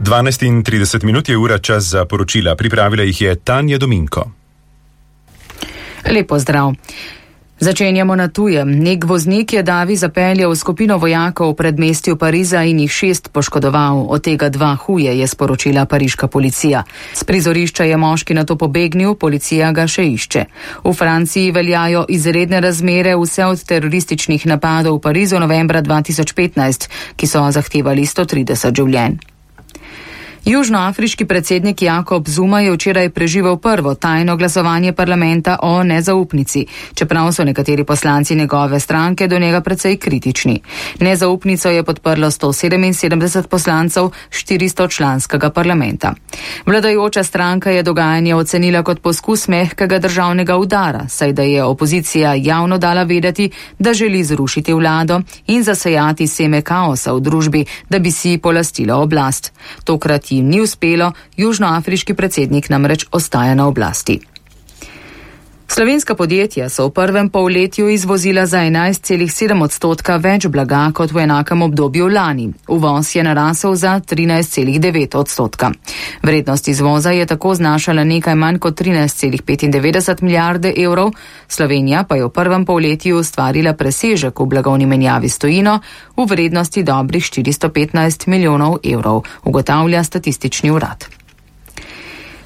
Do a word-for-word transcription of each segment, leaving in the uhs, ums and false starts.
dvanajst in trideset minut je ura, čas za poročila. Pripravila jih je Tanja Dominko. Lepo zdrav. Začenjamo na tujem. Nek voznik je davi zapeljal skupino vojakov v predmestju Pariza in jih šest poškodoval, od tega dva huje, je sporočila pariška policija. S prizorišča je moški nato pobegnil, policija ga še išče. V Franciji veljajo izredne razmere vse od terorističnih napadov v Parizu novembra dva tisoč petnajst, ki so zahtevali sto trideset življenj. Južnoafriški predsednik Jakob Zuma je včeraj preživel prvo tajno glasovanje parlamenta o nezaupnici, čeprav so nekateri poslanci njegove stranke do njega precej kritični. Nezaupnico je podprlo sto sedeminsedemdeset poslancev štiristo članskega parlamenta. Vladajoča stranka je dogajanje ocenila kot poskus mehkega državnega udara, saj da je opozicija javno dala vedeti, da želi zrušiti vlado in zasejati seme kaosa v družbi, da bi si polastila oblast. Tokrat jim ni uspelo, južnoafriški predsednik namreč ostaja na oblasti. Slovenska podjetja so v prvem polletju izvozila za enajst celih sedem odstotka več blaga kot v enakem obdobju lani. Uvoz je narasel za trinajst celih devet odstotka. Vrednost izvoza je tako znašala nekaj manj kot trinajst celih petindevetdeset milijarde evrov, Slovenija pa je v prvem polletju ustvarila presežek v blagovni menjavi s tujino v vrednosti dobrih štiristo petnajst milijonov evrov, ugotavlja statistični urad.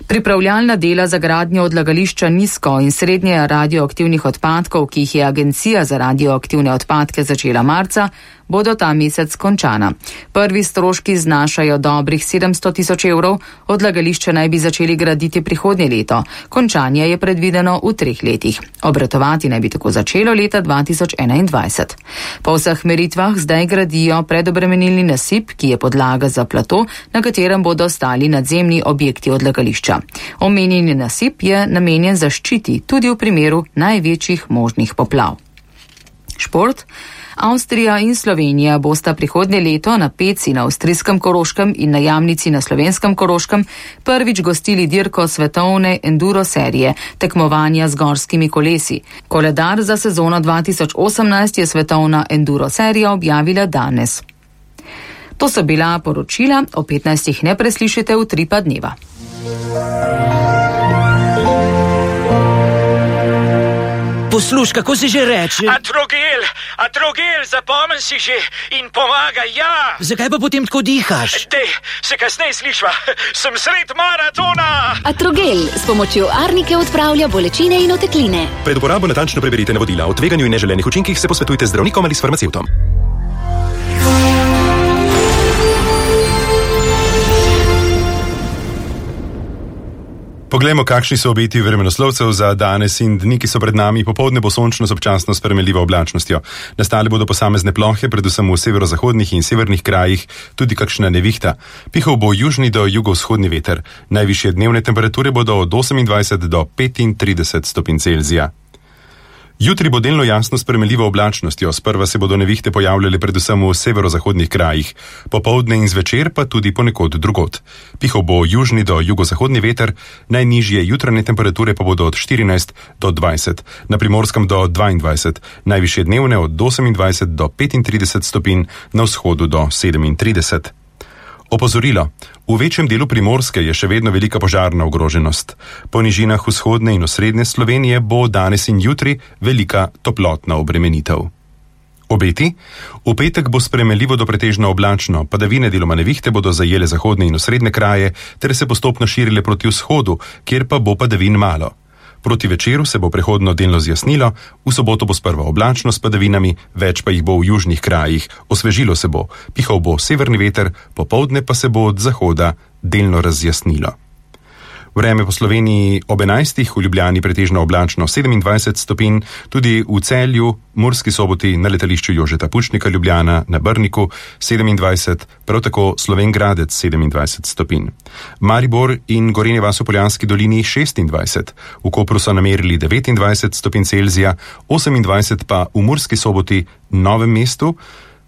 Pripravljalna dela za gradnjo odlagališča nizko in srednje radioaktivnih odpadkov, ki jih je Agencija za radioaktivne odpadke začela marca, bodo ta mesec končana. Prvi stroški znašajo dobrih sedemsto tisoč evrov, odlagališče naj bi začeli graditi prihodnje leto. Končanje je predvideno v treh letih. Obratovati naj bi tako začelo leta dva tisoč enaindvajset. Po vseh meritvah zdaj gradijo predobremenilni nasip, ki je podlaga za plato, na katerem bodo stali nadzemni objekti odlagališča. Omenjeni nasip je namenjen zaščiti tudi v primeru največjih možnih poplav. Šport. Avstrija in Slovenija bosta prihodnje leto na Peci na avstrijskem Koroškem in na Jamnici na slovenskem Koroškem prvič gostili dirko svetovne enduro serije, tekmovanja z gorskimi kolesi. Koledar za sezono dva tisoč osemnajst je svetovna enduro serija objavila danes. To so bila poročila, o petnajstih ne preslišite v tri pa dneva. Posluš, kako si že reče? Atrogel, atrogel, zapomni si že in pomaga, ja. Zakaj pa potem tako dihaš? Te, se kasneje slišva, sem sred maratona. Atrogel s pomočjo arnike odpravlja bolečine in otekline. Pred uporabo natančno preberite navodila. O tveganju in neželenih učinkih se posvetujte z zdravnikom ali s farmacevtom. Poglejmo, kakšni so obeti vremenoslovcev za danes in dni, ki so pred nami. Popoldne bo sončno s občasno spremenljivo oblačnostjo. Nastale bodo posamezne plohe, predvsem v severozahodnih in severnih krajih, tudi kakšna nevihta. Pihal bo južni do jugovzhodni veter. Najvišje dnevne temperature bodo od osemindvajset do petintrideset stopinj Celzija. Jutri bo delno jasno s spremenljivo oblačnostjo, sprva se bodo nevihte pojavljale predvsem v severozahodnih krajih, popoldne in zvečer pa tudi ponekod drugod. Pihal bo južni do jugozahodni veter, najnižje jutranje temperature pa bodo od štirinajst do dvajset, na Primorskem do dvaindvajset, najvišje dnevne od osemindvajset do petintrideset stopinj, na vzhodu do sedemintrideset. Opozorilo. V večjem delu Primorske je še vedno velika požarna ogroženost. Po nižinah vzhodne in osrednje Slovenije bo danes in jutri velika toplotna obremenitev. Obeti? V petek bo spremenljivo do pretežno oblačno, padavine deloma nevihte bodo zajele zahodne in osrednje kraje, ter se postopno širile proti vzhodu, kjer pa bo padavin malo. Proti večeru se bo prehodno delno zjasnilo, v soboto bo sprva oblačno s padavinami, več pa jih bo v južnih krajih, osvežilo se bo, pihal bo severni veter, popoldne pa se bo od zahoda delno razjasnilo. Vreme po Sloveniji ob enajstih, v Ljubljani pretežno oblačno sedemindvajset stopinj, tudi v Celju, Murski Soboti, na letališču Jožeta Pučnika Ljubljana, na Brniku sedemindvajset, prav tako Slovenj Gradec sedemindvajset stopinj. Maribor in Gorenje vas v Poljanski dolini šestindvajset, v Kopru so namerili devetindvajset stopinj Celzija, osemindvajset pa v Murski Soboti, Novem mestu,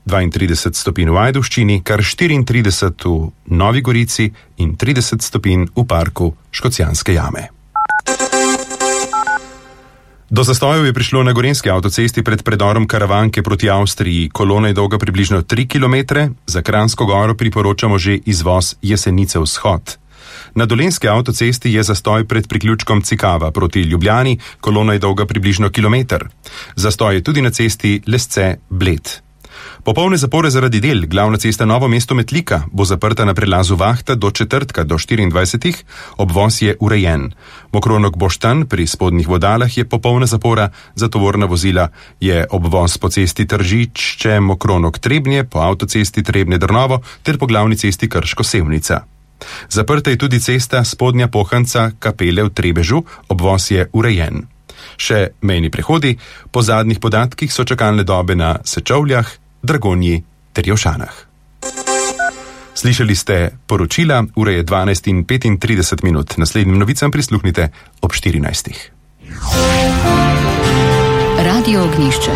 dvaintrideset stopinj v Ajdovščini, kar štiriintrideset v Novi Gorici in trideset stopinj v parku Škocjanske jame. Do zastojev je prišlo na gorenjski avtocesti pred predorom Karavanke proti Avstriji. Kolona je dolga približno tri kilometre, za Kranjsko Goro priporočamo že izvoz Jesenice vzhod. Na dolenjski avtocesti je zastoj pred priključkom Cikava proti Ljubljani, kolona je dolga približno kilometer. Zastoj je tudi na cesti Lesce-Bled. Popolne zapore zaradi del, glavna cesta Novo mesto-Metlika bo zaprta na prelazu Vahta do četrtka do štiriindvajsetih, obvoz je urejen. Mokronok Boštanj pri spodnjih vodalah je popolna zapora, za tovorna vozila je obvoz po cesti Tržiče, Mokronok Trebnje, po avtocesti Trebnje-Drnovo ter po glavni cesti Krško-Sevnica. Zaprta je tudi cesta Spodnja Pohanca Kapele v Trebežu, obvoz je urejen. Še mejni prehodi, po zadnjih podatkih so čakalne dobe na Sečovljah, Dragonji ter Jošanah. Slišali ste poročila, ura je dvanajst in petintrideset minut. Naslednjim novicam prisluhnite ob štirinajstih. Radio Ognjišče.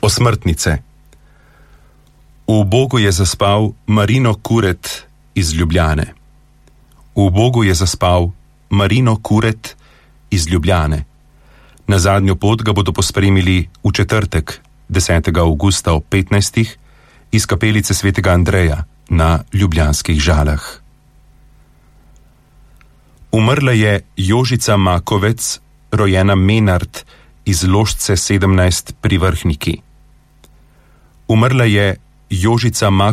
Osmrtnice. V Bogu je zaspal Marino Kuret iz Ljubljane. V Bogu je zaspal Marino Kuret iz Ljubljane. Na zadnjo pot ga bodo pospremili v četrtek, desetega avgusta ob petnajstih, iz kapelice svetega Andreja na Ljubljanskih Žalah. Umrla je Jožica Makovec, rojena Menard, iz Ložce sedemnajst pri Vrhniki. Umrla je Jožica Makovec,